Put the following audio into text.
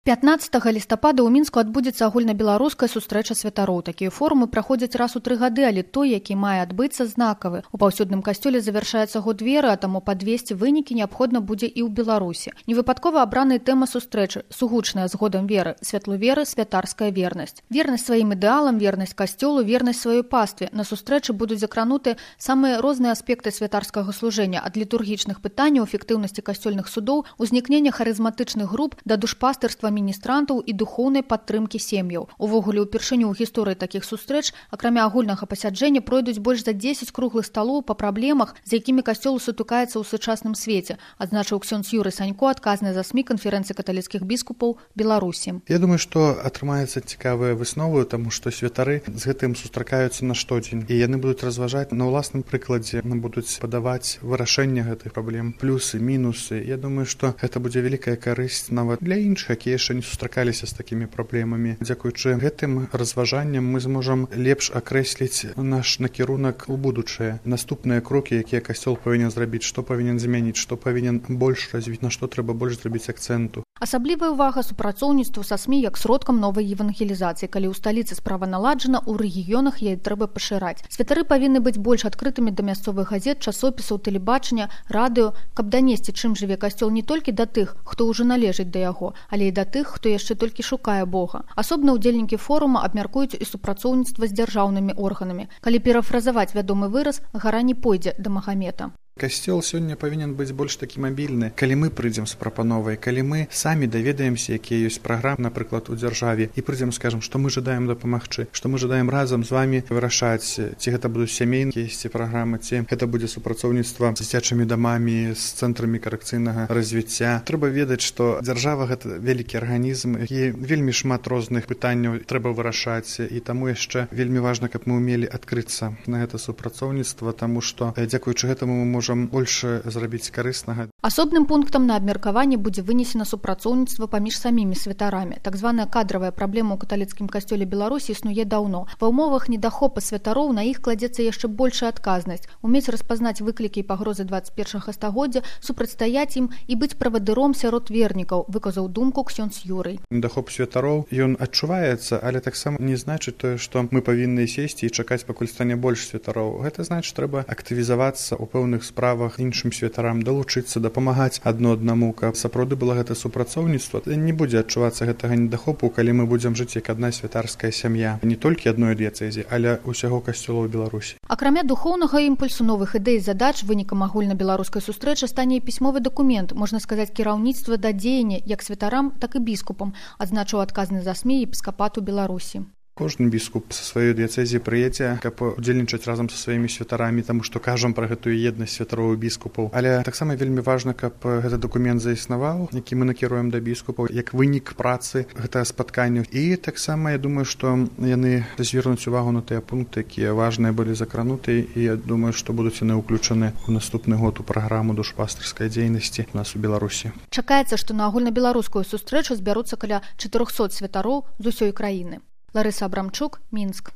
15 лістапада ў Мінску адбудзецца агульнабеларуская сустрэча святароў. Такія форумы праходзяць раз у 3 гады, але той, які мае адбыцца, знакавы. У паўсюдным касцёле завяршаецца год веры, а таму падвесці вынікі неабходна будзе і ў Беларусі. Невыпадкова абраная тэма сустрэчы сугучная з годам веры, святлу веры, святарская вернасць. Вернасць сваім ідэалам, вернасць касцёлу, вернасць сваёй пастве. На сустрэчы будуць закрануты самыя розныя аспекты святарскага служэння, ад літургічных пытанняў, эфектыўнасці касцёльных судоў, узнікнення харызматычных груп да душпастырства міністрантаў і духоўнай падтрымкі сем'яў. Увогуле, упершыню ў гісторыі такіх сустрэч, акрамя агульнага пасяджэння, пройдуць больш за 10 круглых сталоў па праблемах, з якімі касцёл сутыкаецца ў сучасным свеце, адзначыў ксёндз Юрый Санько, адказны за СМІ канферэнцыі каталіцкіх біскупаў Беларусі. Я думаю, што атрымаецца цікавая выснова, таму што святары з гэтым сустракаюцца на штодзень, і яны будуць разважаць на ўласным прыкладзе, будуць падаваць вырашэнне гэтых праблем, плюсы, мінусы. Я думаю, што гэта будзе вялікая карысць нават для іншых, якія яшчэ не сустракаліся з такімі праблемамі. Дзякуючы гэтым разважанням мы зможам лепш акрэсліць наш накірунак у будучае. Наступныя крокі, якія касцёл павінен зрабіць, што павінен змяніць, што павінен больш развіць, на што трэба больш зрабіць акцэнту. Асаблівая ўвага супрацоўніцтву са СМІ як сродкам новай евангелізацыі. Калі ў сталіцы справа наладжана, у рэгіёнах яе трэба пашыраць. Святары павінны быць больш адкрытымі да мясцовых газет, часопісаў, тэлебачання, радыё, каб данесці, чым жыве касцёл не толькі да тых, хто ўжо належыць да яго, але і да тых, хто яшчэ толькі шукае Бога. Асобна ўдзельнікі форума абмяркуюць і супрацоўніцтва з дзяржаўнымі органамі. Калі перафразаваць вядомы выраз, гара не пойдзе да Магамета. Касцёл сёння павінен быць больш такі мабільны. Калі мы прыйдзем з прапановай, калі мы самі даведаемся, якія ёсць праграмы, напрыклад, у дзяржаве, і прыйдзем, скажам, што мы жадаем дапамагчы, што мы жадаем разам з вамі вырашаць, ці гэта будуць сямейныя ці праграмы, ці гэта будзе супрацоўніцтва з дзіцячымі дамамі, з цэнтрамі карэкцыйнага развіцця. Трэба ведаць, што дзяржава гэта вялікі арганізм, і вельмі шмат розных пытанняў трэба вырашаць, і таму яшчэ вельмі важна, каб мы ўмелі адкрыцца на гэта супрацоўніцтва, таму што дзякуючы гэтаму мы можам больше зрабіць карыснага. Асобным пунктам на абмеркаванне будзе вынесена супрацоўніцтва паміж самімі святарамі. Так званая кадравая праблема ў каталіцкім касцёле Беларусі існуе даўно. Ва ўмовах недахопа святароў на іх кладзецца яшчэ большая адказнасць. Умець распазнаць выклікі і пагрозы 21 стагоддзя, супрацьстаяць ім і быць правадыром сярод вернікаў, выказаў думку ксёндз Юрый. Недахоп святароў, ён адчуваецца, але таксама не значыць тое, што мы павінны сесці і чакаць, пакуль стане больш святароў. Гэта значыць, трэба актывізавацца ў пэўных справах іншым святарам, далучыцца, дапамагаць адно аднаму, каб сапраўды было гэта супрацоўніцтва. Не будзе адчувацца гэтага недахопу, калі мы будзем жыць як адна святарская сям'я, не толькі адной дыяцэзі, але ўсяго касцёла ў Беларусі. Акрамя духоўнага імпульсу, новых ідэй і задач, вынікам агульнабеларускай сустрэчы стане і пісьмовы дакумент, можна сказаць, кіраўніцтва да дзеяння як святарам, так і біскупам, адзначыў адказны за СМІ епіскапату Беларусі. Кожны біскуп са сваёй дыяцэзіі прыедзе, каб удзельнічаць разам са сваімі святарамі, таму што кажам пра гэтую еднасць святароў і біскупаў. Але таксама вельмі важна, каб гэты дакумент заіснаваў, які мы накіруем да біскупаў, як вынік працы гэтага спаткання. І таксама я думаю, што яны звернуць увагу на тыя пункты, якія важныя былі закрануты, і я думаю, што будуць яны ўключаны ў наступны год у праграму душпастырскай дзейнасці у нас у Беларусі. Чакаецца, што на агульнабеларускую сустрэчу збяруцца каля 400 святароў з усёй краіны. Ларыса Абрамчук, Мінск.